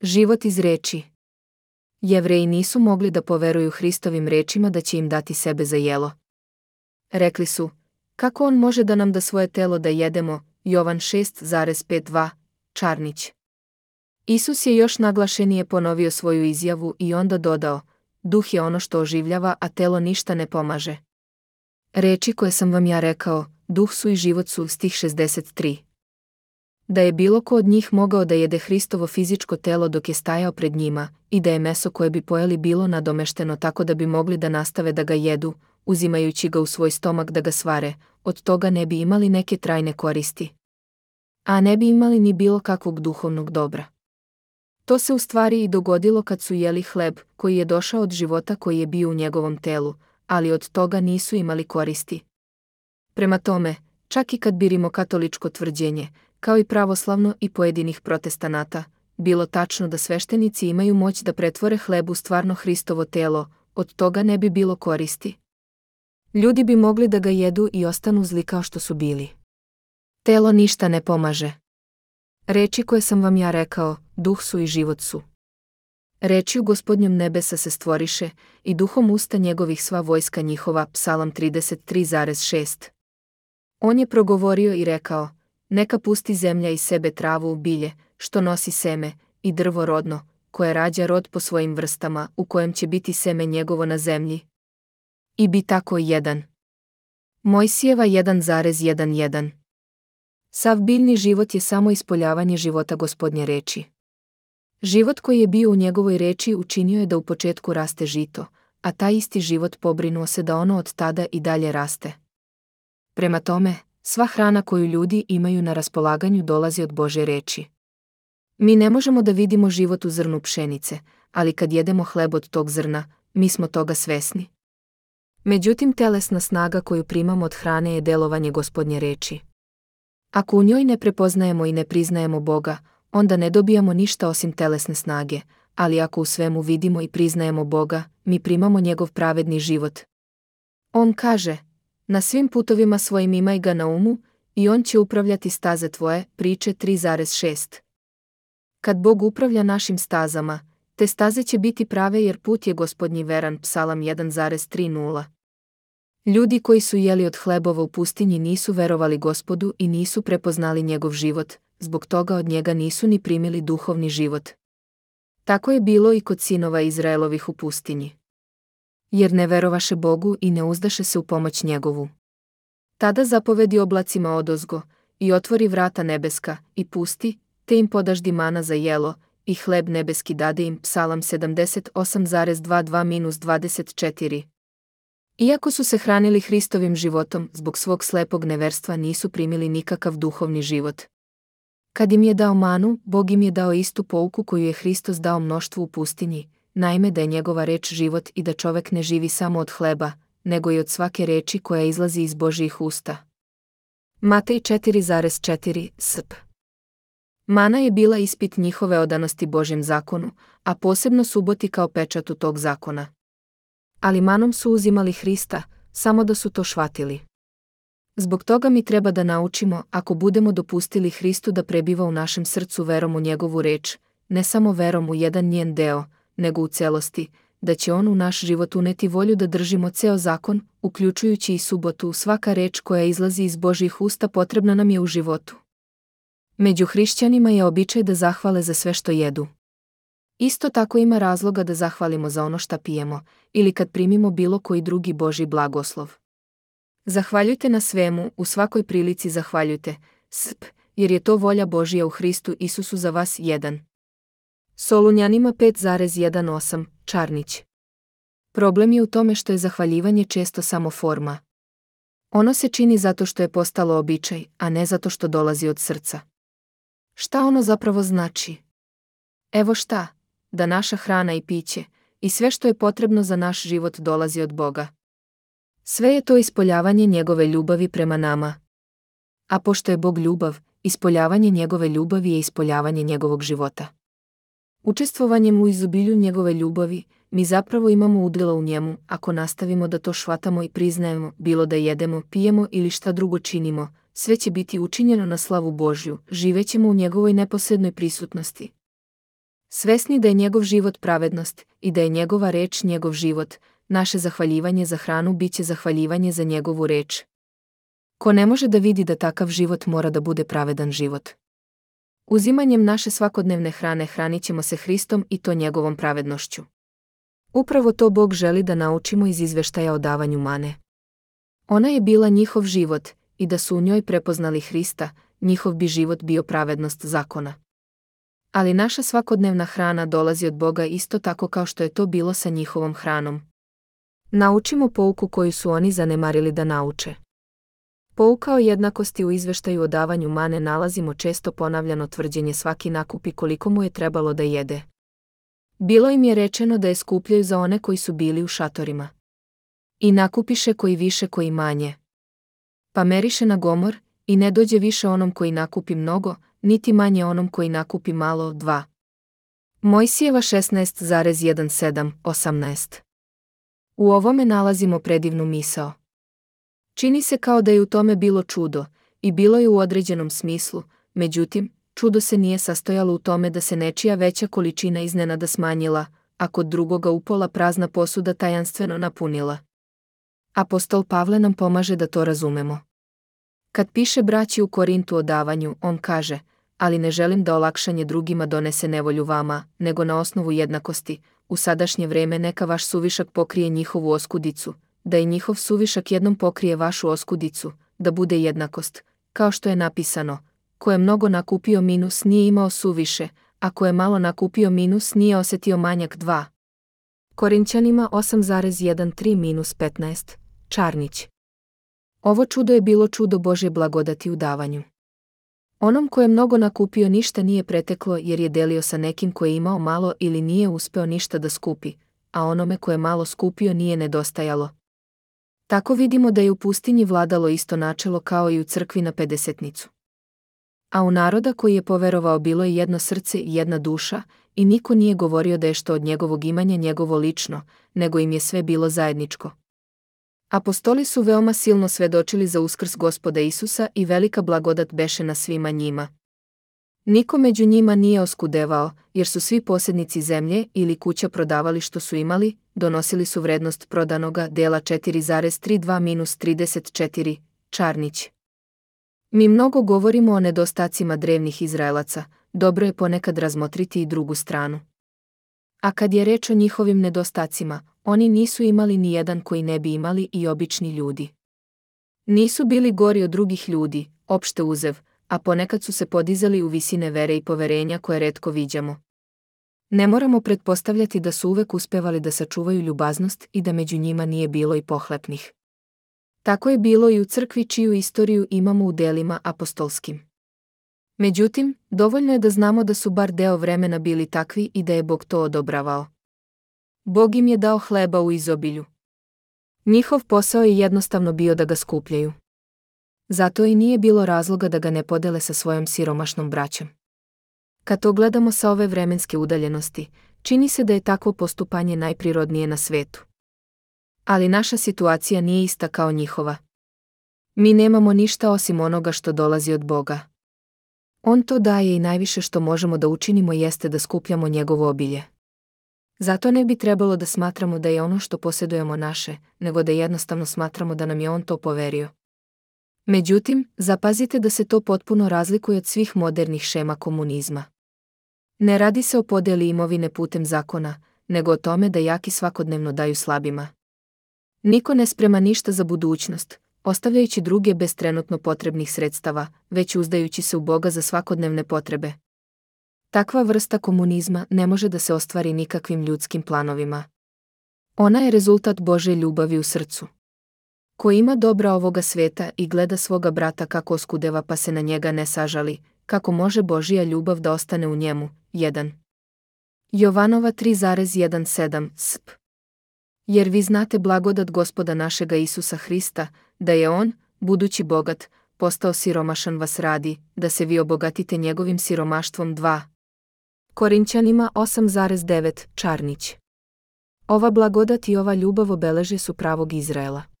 Život iz reči. Jevreji nisu mogli da poveruju Hristovim rečima da će im dati sebe za jelo. Rekli su, kako on može da nam da svoje telo da jedemo, Jovan 6,52, Čarnić. Isus je još naglašenije ponovio svoju izjavu i onda dodao, duh je ono što oživljava, a telo ništa ne pomaže. Reči koje sam vam ja rekao, duh su i život su, stih 63. Da je bilo ko od njih mogao da jede Hristovo fizičko telo dok je stajao pred njima, i da je meso koje bi pojeli bilo nadomešteno tako da bi mogli da nastave da ga jedu, uzimajući ga u svoj stomak da ga svare, od toga ne bi imali neke trajne koristi. A ne bi imali ni bilo kakvog duhovnog dobra. To se u stvari i dogodilo kad su jeli hleb, koji je došao od života koji je bio u njegovom telu, ali od toga nisu imali koristi. Prema tome, čak i kad bi rimokatoličko tvrđenje, kao i pravoslavno i pojedinih protestanata, bilo tačno da sveštenici imaju moć da pretvore hleb u stvarno Hristovo telo, od toga ne bi bilo koristi. Ljudi bi mogli da ga jedu i ostanu zli kao što su bili. Telo ništa ne pomaže. Reči koje sam vam ja rekao, duh su i život su. Rečju Gospodnjom nebesa se stvoriše, i duhom usta njegovih sva vojska njihova, Psalam 33,6. On je progovorio i rekao, neka pusti zemlja iz sebe travu u bilje, što nosi seme, i drvo rodno, koje rađa rod po svojim vrstama, u kojem će biti seme njegovo na zemlji. I bi tako jedan. Mojsijeva 1,11. Sav biljni život je samo ispoljavanje života Gospodnje reči. Život koji je bio u njegovoj reči učinio je da u početku raste žito, a taj isti život pobrinuo se da ono od tada i dalje raste. Prema tome, sva hrana koju ljudi imaju na raspolaganju dolazi od Božje reči. Mi ne možemo da vidimo život u zrnu pšenice, ali kad jedemo hleb od tog zrna, mi smo toga svesni. Međutim, telesna snaga koju primamo od hrane je delovanje Gospodnje reči. Ako u njoj ne prepoznajemo i ne priznajemo Boga, onda ne dobijamo ništa osim telesne snage, ali ako u svemu vidimo i priznajemo Boga, mi primamo njegov pravedni život. On kaže, na svim putovima svojim imaj ga na umu, i on će upravljati staze tvoje, priče 3,6. Kad Bog upravlja našim stazama, te staze će biti prave jer put je Gospodnji veran, Psalam 1,30. Ljudi koji su jeli od hlebova u pustinji nisu verovali Gospodu i nisu prepoznali njegov život, zbog toga od njega nisu ni primili duhovni život. Tako je bilo i kod sinova Izraelovih u pustinji. Jer ne verovaše Bogu i ne uzdaše se u pomoć njegovu. Tada zapovedi oblacima odozgo, i otvori vrata nebeska, i pusti, te im podaždi mana za jelo, i hleb nebeski dade im, Psalam 78,22-24. Iako su se hranili Hristovim životom, zbog svog slepog neverstva nisu primili nikakav duhovni život. Kad im je dao manu, Bog im je dao istu pouku koju je Hristos dao mnoštvu u pustinji, naime da je njegova reč život i da čovek ne živi samo od hleba, nego i od svake reči koja izlazi iz Božjih usta. Matej 4,4 sp. Mana je bila ispit njihove odanosti Božjem zakonu, a posebno suboti kao pečatu tog zakona. Ali manom su uzimali Hrista, samo da su to shvatili. Zbog toga mi treba da naučimo, ako budemo dopustili Hristu da prebiva u našem srcu verom u njegovu reč, ne samo verom u jedan njen deo, nego u celosti, da će on u naš život uneti volju da držimo ceo zakon, uključujući i subotu. Svaka reč koja izlazi iz Božjih usta potrebna nam je u životu. Među hrišćanima je običaj da zahvale za sve što jedu. Isto tako ima razloga da zahvalimo za ono šta pijemo, ili kad primimo bilo koji drugi Božji blagoslov. Zahvaljujte na svemu, u svakoj prilici zahvaljujte, jer je to volja Božja u Hristu Isusu za vas. 1. Solunjanima 5,18, Čarnić. Problem je u tome što je zahvaljivanje često samo forma. Ono se čini zato što je postalo običaj, a ne zato što dolazi od srca. Šta ono zapravo znači? Evo šta, da naša hrana i piće, i sve što je potrebno za naš život dolazi od Boga. Sve je to ispoljavanje njegove ljubavi prema nama. A pošto je Bog ljubav, ispoljavanje njegove ljubavi je ispoljavanje njegovog života. Učestvovanjem u izobilju njegove ljubavi, mi zapravo imamo udjela u njemu, ako nastavimo da to shvatamo i priznajemo, bilo da jedemo, pijemo ili šta drugo činimo, sve će biti učinjeno na slavu Božju, živećemo u njegovoj neposrednoj prisutnosti. Svesni da je njegov život pravednost i da je njegova reč njegov život, naše zahvaljivanje za hranu biće zahvaljivanje za njegovu reč. Ko ne može da vidi da takav život mora da bude pravedan život? Uzimanjem naše svakodnevne hrane hranit ćemo se Hristom i to njegovom pravednošću. Upravo to Bog želi da naučimo iz izveštaja o davanju mane. Ona je bila njihov život, i da su u njoj prepoznali Hrista, njihov bi život bio pravednost zakona. Ali naša svakodnevna hrana dolazi od Boga isto tako kao što je to bilo sa njihovom hranom. Naučimo pouku koju su oni zanemarili da nauče. Pouka o jednakosti u izveštaju o davanju mane nalazimo često ponavljano tvrđenje svaki nakupi koliko mu je trebalo da jede. Bilo im je rečeno da je skupljaju za one koji su bili u šatorima. I nakupiše koji više koji manje. Pa meriše na gomor, i ne dođe više onom koji nakupi mnogo, niti manje onom koji nakupi malo, 2. Mojsijeva 16,17-18. U ovome nalazimo predivnu misao. Čini se kao da je u tome bilo čudo, i bilo je u određenom smislu, međutim, čudo se nije sastojalo u tome da se nečija veća količina iznenada smanjila, a kod drugoga upola prazna posuda tajanstveno napunila. Apostol Pavle nam pomaže da to razumemo. Kad piše braći u Korintu o davanju, on kaže, ali ne želim da olakšanje drugima donese nevolju vama, nego na osnovu jednakosti, u sadašnje vreme neka vaš suvišak pokrije njihovu oskudicu, da i njihov suvišak jednom pokrije vašu oskudicu, da bude jednakost, kao što je napisano, ko je mnogo nakupio minus nije imao suviše, a ko je malo nakupio minus nije osetio manjak 2. Korinćanima 8,13-15, Čarnić. Ovo čudo je bilo čudo Božje blagodati u davanju. Onom ko je mnogo nakupio ništa nije preteklo jer je delio sa nekim ko je imao malo ili nije uspeo ništa da skupi, a onome ko je malo skupio nije nedostajalo. Tako vidimo da je u pustinji vladalo isto načelo kao i u crkvi na pedesetnicu. A u naroda koji je poverovao bilo je jedno srce i jedna duša, i niko nije govorio da je što od njegovog imanja njegovo lično, nego im je sve bilo zajedničko. Apostoli su veoma silno svedočili za uskrs Gospoda Isusa i velika blagodat beše na svima njima. Niko među njima nije oskudevao, jer su svi posjednici zemlje ili kuća prodavali što su imali, donosili su vrednost prodanoga dela 4,32-34, Čarnić. Mi mnogo govorimo o nedostacima drevnih Izraelaca, dobro je ponekad razmotriti i drugu stranu. A kad je reč o njihovim nedostacima, oni nisu imali ni jedan koji ne bi imali i obični ljudi. Nisu bili gori od drugih ljudi, opšte uzev, a ponekad su se podizali u visine vere i poverenja koje retko viđamo. Ne moramo pretpostavljati da su uvek uspevali da sačuvaju ljubaznost i da među njima nije bilo i pohlepnih. Tako je bilo i u crkvi čiju istoriju imamo u delima apostolskim. Međutim, dovoljno je da znamo da su bar deo vremena bili takvi i da je Bog to odobravao. Bog im je dao hleba u izobilju. Njihov posao je jednostavno bio da ga skupljaju. Zato i nije bilo razloga da ga ne podele sa svojom siromašnom braćom. Kad to gledamo sa ove vremenske udaljenosti, čini se da je takvo postupanje najprirodnije na svetu. Ali naša situacija nije ista kao njihova. Mi nemamo ništa osim onoga što dolazi od Boga. On to daje i najviše što možemo da učinimo jeste da skupljamo njegovo obilje. Zato ne bi trebalo da smatramo da je ono što posjedujemo naše, nego da jednostavno smatramo da nam je on to poverio. Međutim, zapazite da se to potpuno razlikuje od svih modernih šema komunizma. Ne radi se o podeli imovine putem zakona, nego o tome da jaki svakodnevno daju slabima. Niko ne sprema ništa za budućnost, ostavljajući druge bez trenutno potrebnih sredstava, već uzdajući se u Boga za svakodnevne potrebe. Takva vrsta komunizma ne može da se ostvari nikakvim ljudskim planovima. Ona je rezultat Božje ljubavi u srcu. Ko ima dobra ovoga sveta i gleda svoga brata kako oskudeva pa se na njega ne sažali, kako može Božja ljubav da ostane u njemu? 1. Jovanova 3,17 sp. Jer vi znate blagodat Gospoda našega Isusa Hrista, da je on, budući bogat, postao siromašan vas radi, da se vi obogatite njegovim siromaštvom. 2. Korinćanima 8,9 Čarnić. Ova blagodat i ova ljubav obeleže su pravog Izraela.